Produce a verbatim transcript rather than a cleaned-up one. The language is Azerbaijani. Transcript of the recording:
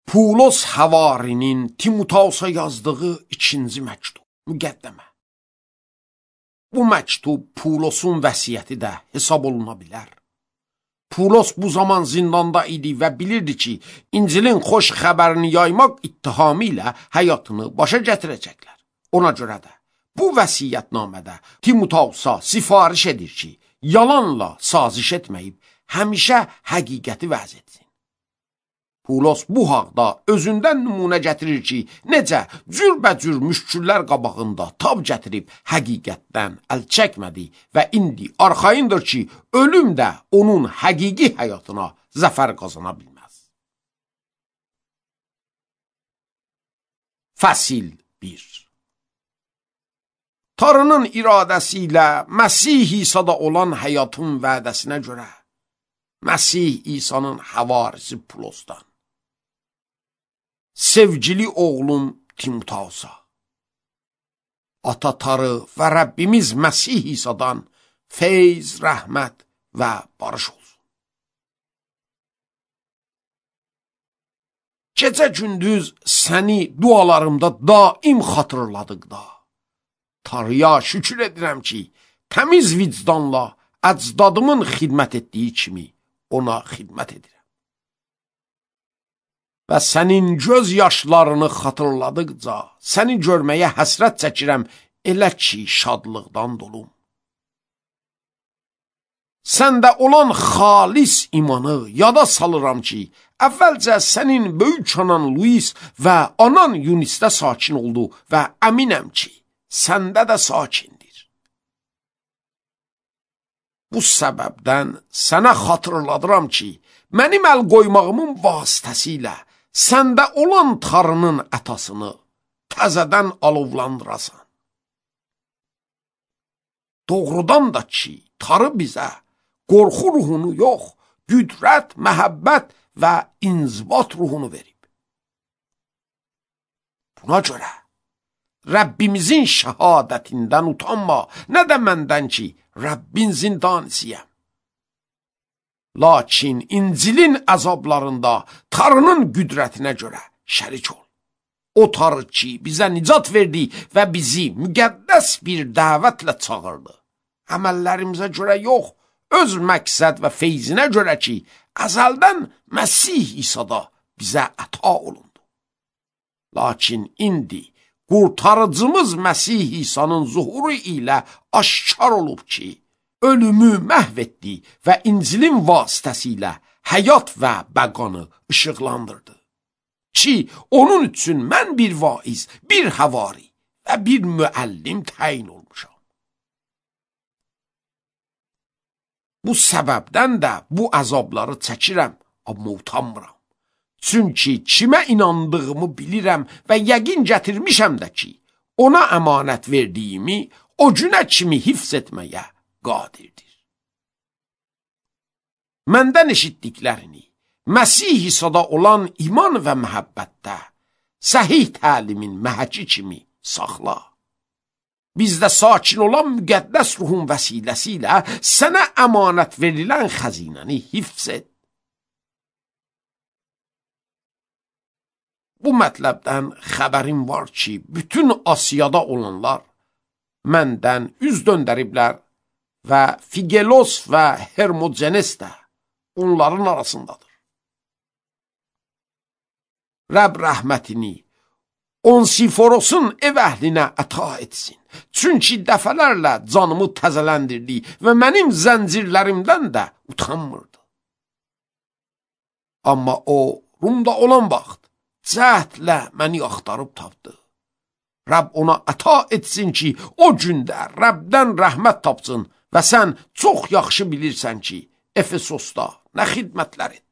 Pulos Həvarinin Timotausa yazdığı ikinci məktub, müqəddəmə. Bu məktub Pulosun vəsiyyəti də hesab oluna bilər. Pulos bu zaman zindanda idi və bilirdi ki, İncilin xoş xəbərini yaymaq ittihamı ilə həyatını başa gətirəcəklər. Ona görə də bu vəsiyyətnamədə Timotausa sifariş edir ki, yalanla saziş etməyib, həmişə həqiqəti vəz etsin. Pulos bu haqda özündən nümunə gətirir ki, necə cürbəcür müşküllər qabağında tab gətirib həqiqətdən əl çəkmədi və indi arxayındır ki, ölüm də onun həqiqi həyatına zəfər qazana bilməz. Fəsil bir. Tanrının iradəsi ilə Məsih İsa'da olan həyatın vədəsinə görə Məsih İsa'nın həvarisi Pulosdan, sevgili oğlum Timotausa, Ata Tanrı və Rəbbimiz Məsih İsa'dan feyz, rəhmət və barış olsun. Gecə gündüz səni dualarımda daim xatırladıqda, Tanrıya şükür edirəm ki, təmiz vicdanla əcdadımın xidmət etdiyi kimi ona xidmət edirəm. Və sənin göz yaşlarını xatırladıqca, səni görməyə həsrət çəkirəm, elə ki, şadlıqdan dolum. Səndə olan xalis imanı yada salıram ki, əvvəlcə sənin böyük anan Luis və anan Yunisdə sakin oldu və əminəm ki, səndə də sakindir. Bu səbəbdən sənə xatırladıram ki, mənim əl qoymağımın vasitəsilə səndə olan Tanrının ətasını təzədən alovlandırasan. Doğrudan da ki, Tanrı bizə qorxu ruhunu yox, qüdrət, məhəbbət və inzibat ruhunu verib. Buna görə Rəbbimizin şəhadətindən utanma, nə də məndən ki, Rəbbin zindanisiyəm. Lakin İncilin əzablarında Tanrının qüdrətinə görə şərik ol. O Tanrı ki, bizə nicat verdi və bizi müqəddəs bir dəvətlə çağırdı. Əməllərimizə görə yox, öz məqsəd və feyzinə görə ki, əzəldən Məsih İsa'da bizə əta olundu. Lakin indi qurtarıcımız Məsih İsa'nın zuhuru ilə aşkar olub ki, ölümü məhv etdi və İncilin vasitəsilə həyat və bəqanı işıqlandırdı. Ki, onun üçün mən bir vaiz, bir həvari və bir müəllim təyin olmuşam. Bu səbəbdən də bu əzabları çəkirəm, amma utanmıram. Çünki kimə inandığımı bilirəm və yəqin gətirmişəm də ki, ona əmanət verdiyimi o günə kimi hifz etməyə qadirdir. Məndən eşitdiklərini Məsih İsa'da olan iman və məhəbbətdə səhih təlimin məhəki kimi saxla. Bizdə sakin olan müqəddəs ruhun vəsiləsi ilə sənə əmanət verilən xəzinəni hifz et. Bu mətləbdən xəbərim var ki, bütün Asiyada olanlar məndən üz döndəriblər və Figelos və Hermogenes də onların arasındadır. Rəbb rəhmətini Onsiforos'un ev əhlinə əta etsin. Çünki dəfələrlə canımı təzələndirdi və mənim zəncirlərimdən də utanmırdı. Amma o, Rumda olan vaxt, cəhdlə məni axtarıb tapdı. Rəbb ona əta etsin ki, o gündə Rəbdən rəhmət tapsın və sən çox yaxşı bilirsən ki, Efesosda nə xidmətlər etdi.